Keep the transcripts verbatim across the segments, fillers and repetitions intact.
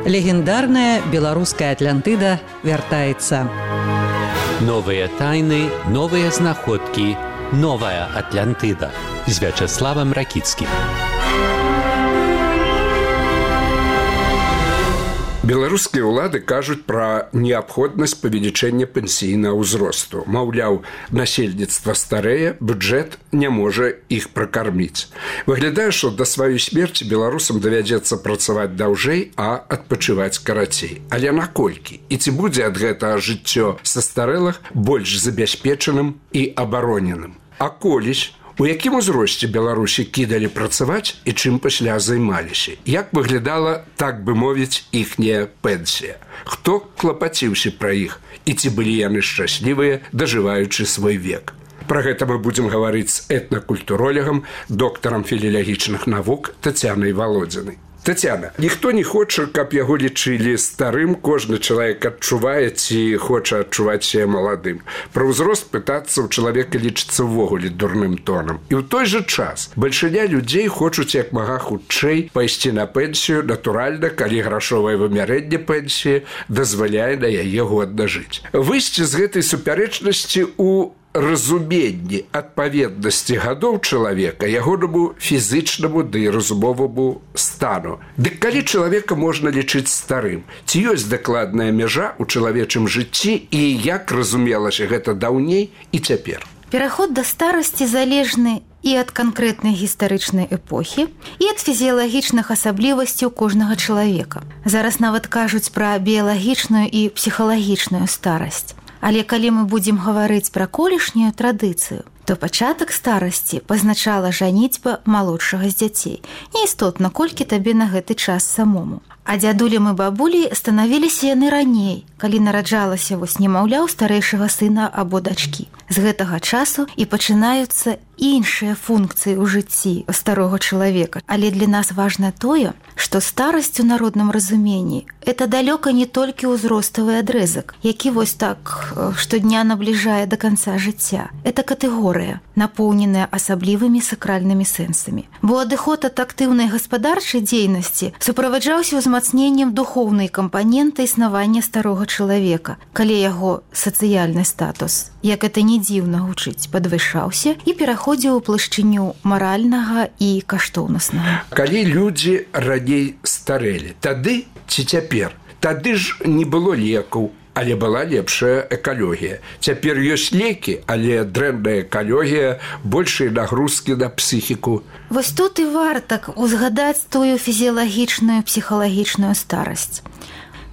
Легендарная беларуская Атлантыда вяртаецца. Новыя тайны, новыя знаходкі, новая Атлантыда з Вячеславам Ракіцкім. Беларускія ўлады кажуць пра неабходнасць павелічэння пенсійнага ўзросту. Маўляў, насельніцтва старэе, бюджэт не можа іх пракарміць. Выглядае, што да сваёй смерці беларусам давядзецца працаваць даўжэй, а адпачываць карацей. Але наколькі? І ці будзе ад гэтага жыццё састарэлых больш забяспечаным і абароненым? А колісь, у якім узросце Беларусі кідалі працаваць і чым пасля займаліся? Як выглядала, так бы мовіць, іхняя пенсія? Хто клапаціўся пра іх? І ці былі яны шчаслівыя, дажываючы свой век? Пра гэта мы будзем гаварыць з этнакультуролегам, доктарам філілагічных навук Тацянай Валодзінай. Тацяна, ніхто не хоча, каб яго лічылі старым, кожны чалавек адчувае ці хоча адчуваць сябе маладым. Пра ўзрост пытацца ў чалавека лічыцца ўвогуле дурным тонам. І ў той жа час бальшыня людзей хочуць як мага хутчэй пайсці на пенсію, натуральна, калі грашовае вымярэнне пенсіі дазваляе на яе годна жыць. Выйсці з гэтай супярэчнасці ў разуменні адпаведнасці гадоў чалавека, ягонаму фізычнаму ды разумоваму стану. Дык калі чалавека можна лічыць старым? Ці ёсць дакладная мяжа ў чалавечым жыцці і як разумелася гэта даўней і цяпер? Пераход да старасці залежны і ад канкрэтнай гістарычнай эпохі, і ад фізіялагічных асаблівасцяў кожнага чалавека. Зараз нават кажуць пра біялагічную і псіхалагічную старасць. Але калі мы будзем гаварыць пра колішнюю традыцыю, то пачатак старасці пазначала жаніцьба малодшага з дзяцей. Неістотна, колькі табе на гэты час самому. А дзядулям і бабулі станавіліся яны раней, калі нараджалася вось немаўля ў старэйшага сына або дачкі. З гэтага часу і пачынаюцца іншыя функцыі ў жыцці старога чалавека. Але для нас важна тое, што старасць у народным разуменні – это далёка не толькі ўзроставы адрэзак, які вось так штодня набліжае да канца жыцця. Это катэгорыя, напоўненая асаблівымі сакральнымі сэнсамі. Бо адыход ад актыўнай гаспадарчай дзейнасці суправаджаўся ўзмацненнем духоўнай кампаненты існавання старога чалавека, калі яго сацыяльны статус, як это не дзіўна гучыць, падвышаўся і пераходзіў у плашчыню маральнага і каштоўнаснага. Калі людзі раней старэлі, тады ці цяпер? Тады ж не было лекаў, але была лепшая экалогія. Цяпер ёсць лекі, але дрэнная экалогія, большыя нагрузкі на псіхіку. Вось тут і варта узгадаць тую фізіялагічную, псіхалагічную старасць.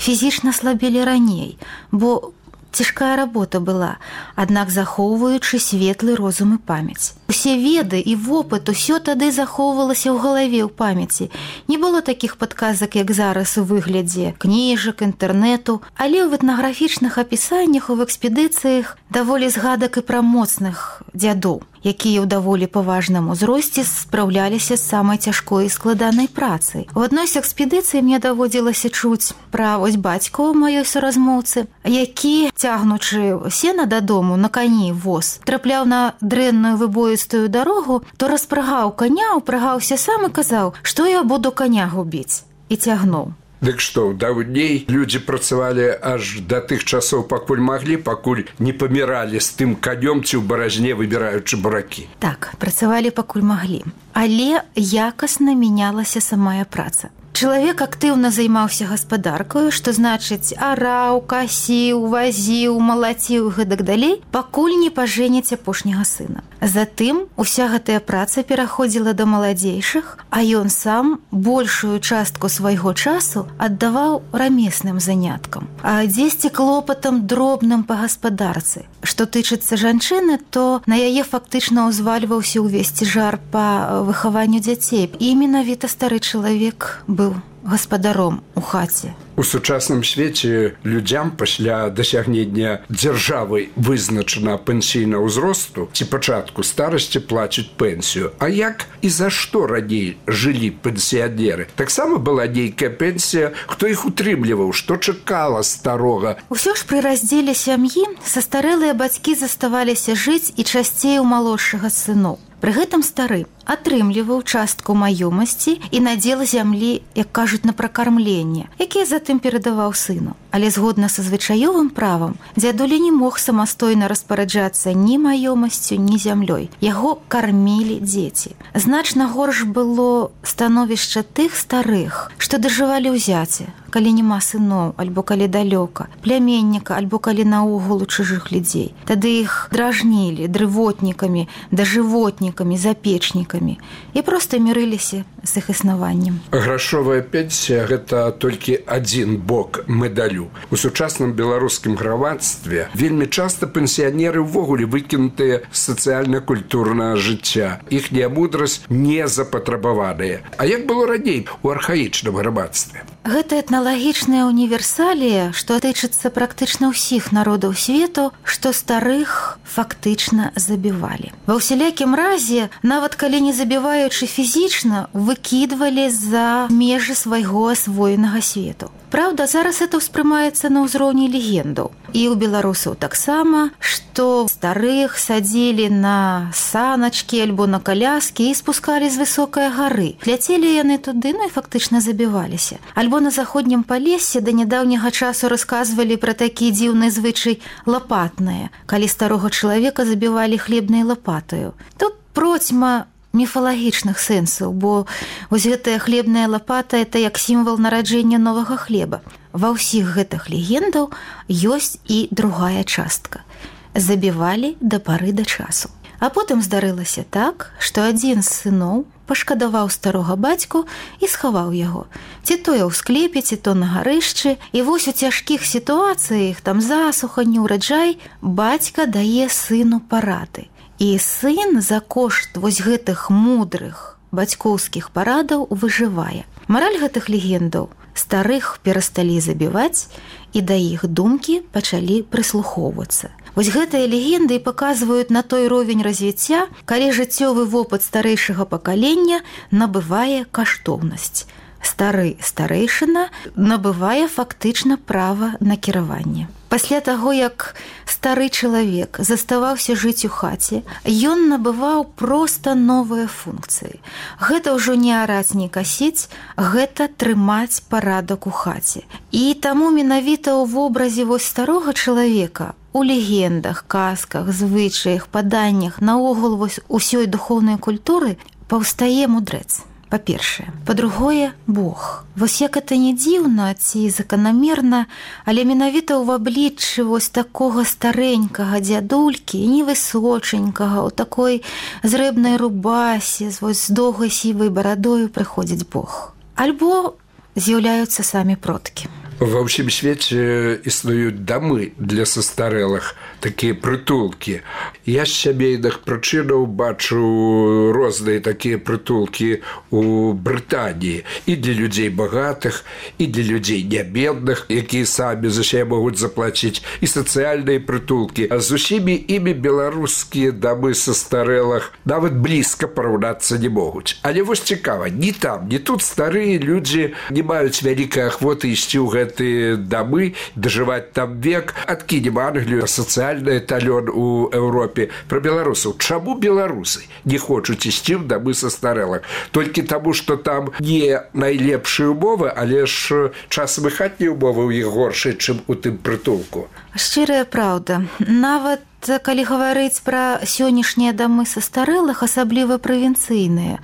Фізічна слабелі раней, бо цяжкая работа была, аднак захоўваючы светлы розум і памяць. Усе веды і вопыт, усё тады захоўвалася ў галаве ў памяці. Не было такіх падказак, як зараз у выглядзе кніжак, інтэрнэту, але ў этнаграфічных апісаннях, у экспедыцыях даволі згадак і пра моцных дзядоў, якія ў даволі паважным узросце спраўляліся з самай цяжкой і складанай працай. У адной з экспедыцый мне даводзілася чуць пра вось бацьку маёй суразмоўцы, які, цягнучы сена дадому на кані воз, трапляў на дрэнную выбоістую дарогу, то распрагаў каня, упрагаўся сам і казаў, што я буду каня губіць, і цягнуў. Дык што, даўней людзі працавалі аж да тых часоў, пакуль маглі, пакуль не паміралі з тым канём ці ў баразне, выбіраючы буракі. Так, працавалі пакуль маглі. Але якасна мянялася самая праца. Чалавек актыўна займаўся гаспадаркаю, што значыць араў, касіў, вазіў, малаціў і гэтак далей, пакуль не пажэняць апошняга сына. Затым уся гэтая праца пераходзіла да маладзейшых, а ён сам большую частку свайго часу аддаваў рамесным заняткам, а дзесьці клопатам дробным па гаспадарцы. Што тычыцца жанчыны, то на яе фактычна ўзвальваўся ўвесь цяжар па выхаванню дзяцей. І менавіта стары чалавек быў гаспадаром у хаце. У сучасным свеце людзям пасля дасягнення дзяржавай вызначана пенсійнага ўзросту ці пачатку старасці плацяць пенсію. А як і за што раней жылі пенсіянеры? Таксама была нейкая пенсія, хто іх утрымліваў, што чакала старога? Усё ж пры раздзеле сям'і састарэлыя бацькі заставаліся жыць і часцей у малодшага сыноў. Пры гэтым стары атрымліваў частку маёмасці і надзел зямлі, як кажуць, на пракармленне, якія затым перадаваў сыну. Але згодна са звычаёвым правам дзядуля не мог самастойна распараджацца ні маёмасцю, ні зямлёй. Яго кармілі дзеці. Значна горш было становішча тых старых, што дажывалі ў зяце, калі няма сыноў, альбо калі далёка, пляменніка, альбо калі наогул у чужых людзей. Тады іх дражнілі дрывотнікамі, дажывотнікамі, запечнікамі і проста мірыліся з іх існаваннем. Грашовая пенсія – гэта толькі адзін бок медалю. У сучасным беларускім грамадстве вельмі часта пенсіянеры ўвогуле выкінутыя з сацыяльна-культурнага жыцця. Іхняя мудрасць не запатрабаваная. А як было раней у архаічным грамадстве? Гэта этналагічная універсалія, што тычыцца практычна ўсіх народаў свету, што старых фактычна забівалі. Ва ўсялякім разе, нават калі не забіваючы фізічна, выкідвалі за межы свайго асвоенага свету. Праўда, зараз это ўспрымаецца на ўзроўні легендаў. І ў беларусаў таксама, што старых садзілі на саначкі альбо на каляскі і спускалі з высокай гары. Ляцелі яны туды, ну і фактычна забіваліся. Альбо на заходнім палесе да нядаўняга часу расказвалі пра такі дзіўны звычай лапатнае, калі старога чалавека забівалі хлебнай лапатаю. Тут процьма міфалагічных сэнсаў, бо вось гэтая хлебная лапата – это як сімвал нараджэння новага хлеба. Ва ўсіх гэтых легендаў ёсць і другая частка. Забівалі да пары да часу. А потым здарылася так, што адзін з сыноў пашкадаваў старога бацьку і схаваў яго. Ці то ў склепе, ці то на гарышчы. І вось у цяжкіх сітуацыях, там засуха, неўраджай, бацька дае сыну парады. І сын за кошт вось гэтых мудрых бацькоўскіх парадаў выжывае. Мараль гэтых легендаў – старых перасталі забіваць, і да іх думкі пачалі прыслухоўвацца. Вось гэтыя легенды і паказваюць на той ровень развіцця, калі жыццёвы вопыт старэйшага пакалення набывае каштоўнасць. Стары старэйшына набывае фактычна права на кіраванне. Пасля таго, як стары чалавек заставаўся жыць у хаце, ён набываў проста новыя функцыі. Гэта ўжо не араць, не касіць, гэта трымаць парадак у хаце. І таму менавіта ў вобразе вось старога чалавека у легендах, казках, звычаях, паданнях, наогул вось усёй духоўнай культуры паўстае мудрэц. Па-першае. Па-другое, Бог. Вось як это не дзіўна ці заканамерна, але менавіта ў абліччы вось такога старэнькага дзядулькі, невысоченькага, у такой зрэбнай рубасе, вось з доўгай сівай барадою прыходзіць Бог. Альбо з'яўляюцца самі продкі. Ва ўсім свеце існуюць дамы для састарэлых, такія прытулкі. Я з сямейных прычынаў бачу розныя такія прытулкі ў Брытаніі. І для людзей багатых, і для людзей нябедных, якія самі за сябе могуць заплаціць, і сацыяльныя прытулкі. А з усімі імі беларускія дамы састарэлых нават блізка параўнацца не могуць. Але вось цікава, ні там, ні тут старыя людзі не маюць вялікай ахвоты ісці ў гэта дамы, дажываць там век. Адкінем Англію, сацыяльны эталён у Еўропе. Пра беларусаў. Чаму беларусы не хочуць ісці ў дамы састарэлых? Толькі таму, што там не найлепшыя ўмовы, але ж часам і хатнія ўмовы ў іх горшыя, чым у тым прытулку. Шчырая праўда. Нават калі гаварыць пра сённяшнія дамы састарэлых, асабліва правінцыйныя,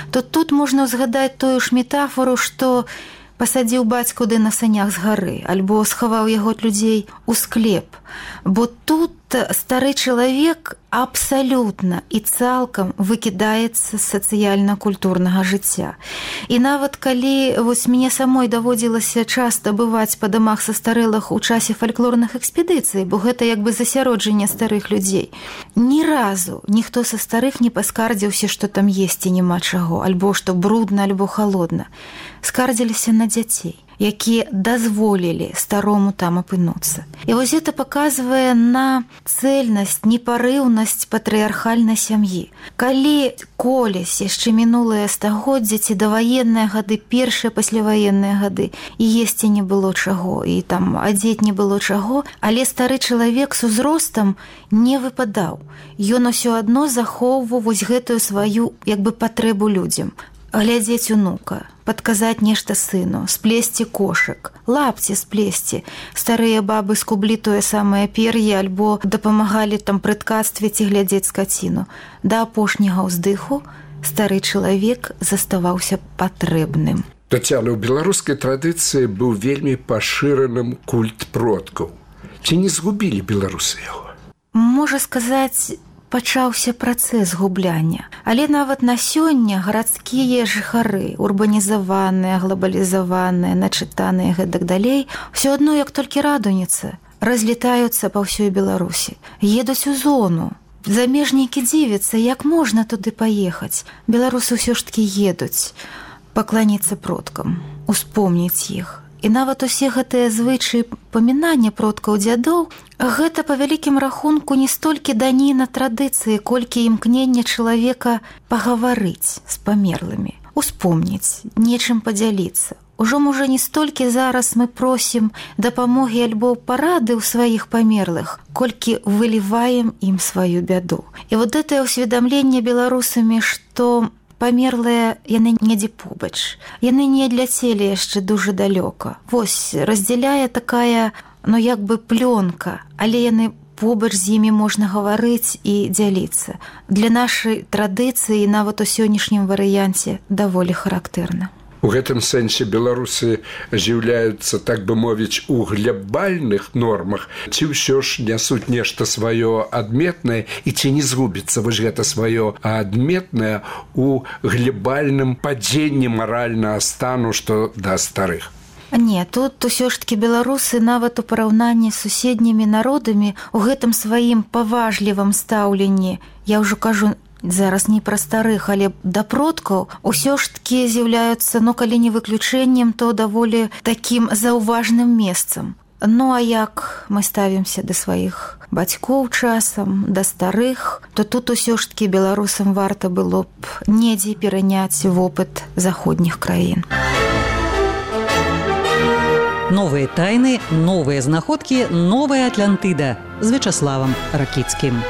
то тут можна згадаць тую ж метафору, што пасадзіў бацьку ды на санях з гары, альбо схаваў яго ад людзей у склеп. Бо тут стары чалавек абсалютна і цалкам выкідаецца з сацыяльна-культурнага жыцця. І нават калі вось мне самой даводзілася часта бываць па дамах састарэлых у часе фальклорных экспедыцый, бо гэта як бы засяроджанне старых людзей, ні разу ніхто са старых не паскардзіўся, што там есці няма чаго, альбо што брудна, альбо халодна. Скардзіліся на дзяцей. якія дазволілі старому там апынуцца. І вось гэта паказвае на цэльнасць, непарыўнасць патрыархальнай сям'і. Калі колісь яшчэ мінулыя стагоддзі ці даваенныя гады, першыя пасляваенныя гады, і есці не было чаго, і там адзець не было чаго, але стары чалавек з узростам не выпадаў. Ён усё адно захоўваў вось гэтую сваю як бы патрэбу людзям. Глядзець унука, падказаць нешта сыну, сплесці кошык, лапці сплесці. Старыя бабы скублі тое самае пер'е альбо дапамагалі там пры ткацтве ці глядзець скаціну. Да апошняга ўздыху стары чалавек заставаўся патрэбным. Тацяна, у беларускай традыцыі быў вельмі пашыраным культ продкаў. Ці не згубілі беларусы яго? Можа сказаць, пачаўся працэс губляння. Але нават на сёння гарадскія жыхары, урбанізаваныя, глобалізаваныя, начытаныя і гэтак далей, усё адно, як толькі радуніца, разлетаюцца па ўсёй Беларусі. Едуць у зону. Замежнікі дзівяцца, як можна туды паехаць. Беларусы ўсё ж такі едуць пакланіцца продкам, успомніць іх. І нават усе гэтыя звычаі памінання продкаў дзядоў, гэта па вялікім рахунку не столькі даніна традыцыі, колькі імкнення чалавека пагаварыць з памерлымі, успомніць, нечым падзяліцца. Ужо, можа, не столькі зараз мы просім дапамогі альбо парады ў сваіх памерлых, колькі выліваем ім сваю бяду. І вот гэтае ўсведамленне беларусамі, што памерлыя яны недзе побач. Яны не адляцелі яшчэ дужа далёка. Вось, раздзяляе такая, ну, як бы плёнка, але яны побач з імі можна гаварыць і дзяліцца. Для нашай традыцыі, нават у сённяшнім варыянце, даволі характэрна. У гэтым сэнсе беларусы з'яўляюцца, так бы мовіць, у глябальных нормах, ці ўсё ж нясуць нешта сваё адметнае, і ці не згубіцца вось гэта сваё адметнае у глябальным падзенні маральнага стану, што да старых. Не, тут усё ж такі беларусы нават у параўнанні з суседнімі народамі у гэтым сваім паважлівым стаўленні, я ўжо кажу, зараз не пра старых, але да продкаў усё ж такі з'яўляюцца, ну, калі не выключэннем, то даволі такім заўважным месцам. Ну, а як мы ставімся да сваіх бацькоў часам, да старых, то тут усё ж такі беларусам варта было б недзе пераняць вопыт заходніх краін. Новыя тайны, новыя знаходкі, новая Атлантыда з Вячаславам Ракіцкім.